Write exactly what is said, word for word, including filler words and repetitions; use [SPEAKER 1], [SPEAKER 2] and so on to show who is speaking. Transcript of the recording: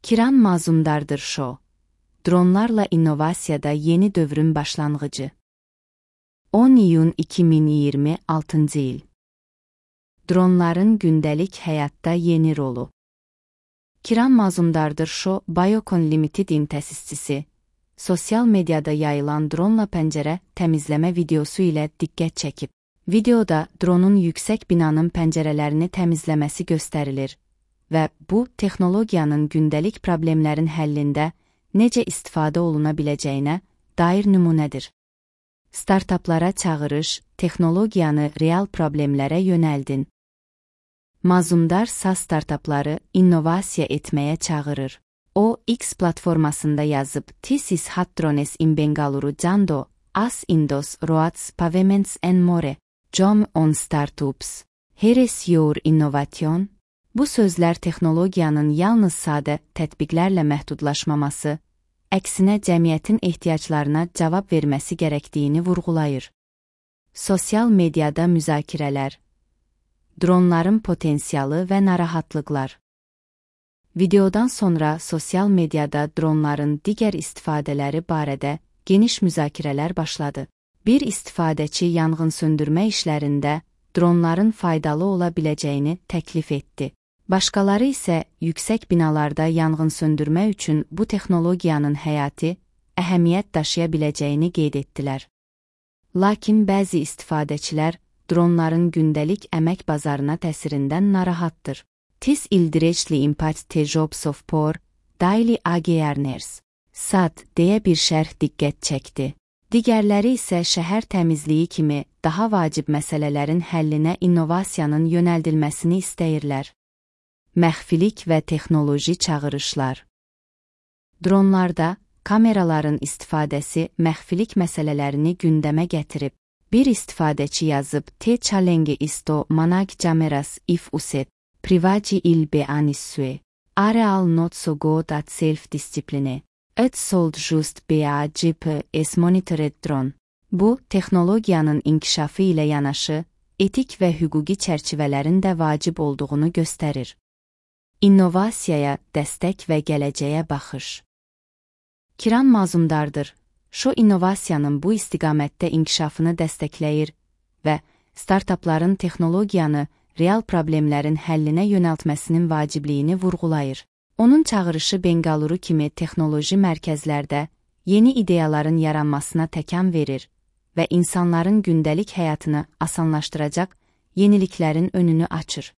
[SPEAKER 1] Kiran Mazumdardır Show. Dronlarla innovasiyada yeni dövrün başlanğıcı. on iyun iki min iyirmi altıncı il. Dronların gündəlik həyatda yeni rolu. Kiran Mazumdardır Show, Biocon Limited'in təsisçisi, sosial mediada yayılan dronla pəncərə təmizləmə videosu ilə diqqət çəkib. Videoda dronun yüksək binanın pəncərələrini təmizləməsi göstərilir və bu, texnologiyanın gündəlik problemlərin həllində necə istifadə oluna biləcəyinə dair nümunədir. Startaplara çağırış, texnologiyanı real problemlərə yönəldin. Mazumdar S A S startapları innovasiya etməyə çağırır. O, X platformasında yazıb, "This is hot drones in Bengaluru Jando, as Indos, Roads, Pavements and more. Jom on startups. Here is your innovation." Bu sözlər texnologiyanın yalnız sadə tətbiqlərlə məhdudlaşmaması, əksinə cəmiyyətin ehtiyaclarına cavab verməsi gərəkdiyini vurğulayır. Sosial mediada müzakirələr. Dronların potensialı və narahatlıqlar. Videodan sonra sosial mediada dronların digər istifadələri barədə geniş müzakirələr başladı. Bir istifadəçi yanğınsöndürmə işlərində dronların faydalı ola biləcəyini təklif etdi. Başqaları isə yüksək binalarda yanğınsöndürmə üçün bu texnologiyanın həyati, əhəmiyyət daşıya biləcəyini qeyd etdilər. Lakin bəzi istifadəçilər dronların gündəlik əmək bazarına təsirindən narahatdır. This ildirectly impact the jobs of poor, daily agearners. S A D deyə bir şərh diqqət çəkdi. Digərləri isə şəhər təmizliyi kimi daha vacib məsələlərin həllinə innovasiyanın yönəldilməsini istəyirlər. Məxfilik və texnoloji çağırışlar. Dronlarda kameraların istifadəsi məxfilik məsələlərini gündəmə gətirib. Bir istifadəçi yazıb, "Te challenge isto manag cameras if uset, privaci il beanissue. Areal not so good at self-discipline. It sold just be G P S monitored drone." Bu, texnologiyanın inkişafı ilə yanaşı, etik və hüquqi çərçivələrin də vacib olduğunu göstərir. İnnovasiyaya dəstək və gələcəyə baxış. Kiran Mazumdardır Show innovasiyanın bu istiqamətdə inkişafını dəstəkləyir və startapların texnologiyanı real problemlərin həllinə yönəltməsinin vacibliyini vurğulayır. Onun çağırışı Bengaluru kimi texnoloji mərkəzlərdə yeni ideyaların yaranmasına təkan verir və insanların gündəlik həyatını asanlaşdıracaq yeniliklərin önünü açır.